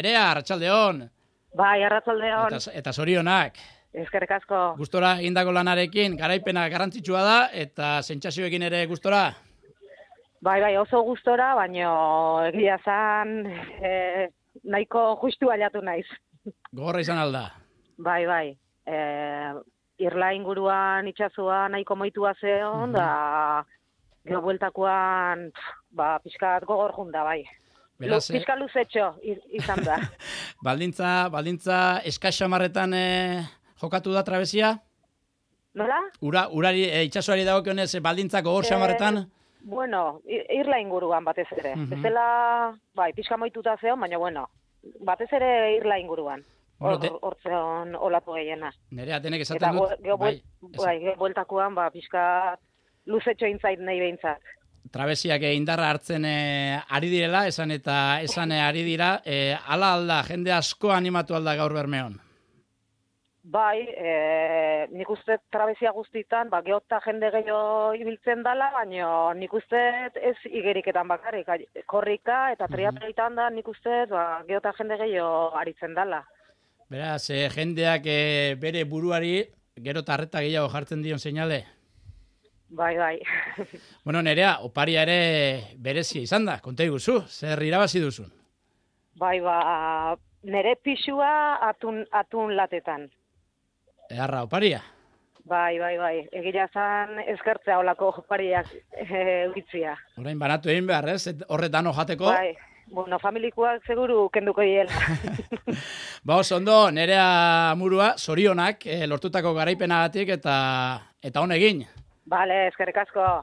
Nerea, arratsaldeon. Bai, arratsaldeon. Eta zorionak. Eskerrik asko. Gustora egindako lanarekin, garaipena garrantzitsua da, eta sentsazioekin ere gustora? Bai, oso gustora, baino egia zan nahiko justu baliatu naiz. Gogorra izan alda? Bai. Irla inguruan itxasua nahiko moitua zeon, da gero bueltakoan pixkat gogor junda, bai. Pixka luzetxo izan da. Baldintza eskaxamarretan jokatu da trabesia? Nola? Urari, itxasuari dagokionez baldintzak gogor xamarretan? Bueno, irla inguruan batez ere. Bezala, pixka moituta zeon, baina bueno, batez ere irla inguruan. Hortzeon olatu gehiena. Nerea, denek esaten dut? Gero bueltakoan, pixka luzetxo intzait nahi behintzat. Trabesiak indarra hartzen ari direla, esan ari dira, ala alda, jende asko animatu alda gaur Bermeon? Bai, nik uste trabesia guztitan, geota jende gehiago ibiltzen dala, baina nik uste ez igeriketan bakarrik, korrika eta triatloitan da, nik uste geota jende gehiago aritzen dala. Beraz, jendeak bere buruari gero tarreta gehiago jartzen dion seinale? Bai. Bueno, Nerea, oparia ere berezia izan da, konta iguzu, zer irabazi duzun? Bai, nere pixua atun latetan. Eharra, oparia? Bai, egia zan eskertzea olako opariak egitzia. Orain banatu egin behar, ez? Horretan jateko? Bai, bueno, familikoak seguru kenduko diela. Oso ondo, Nerea Murua, zorionak, lortutako garaipenagatik eta honegin. Bale, eskerrik asko.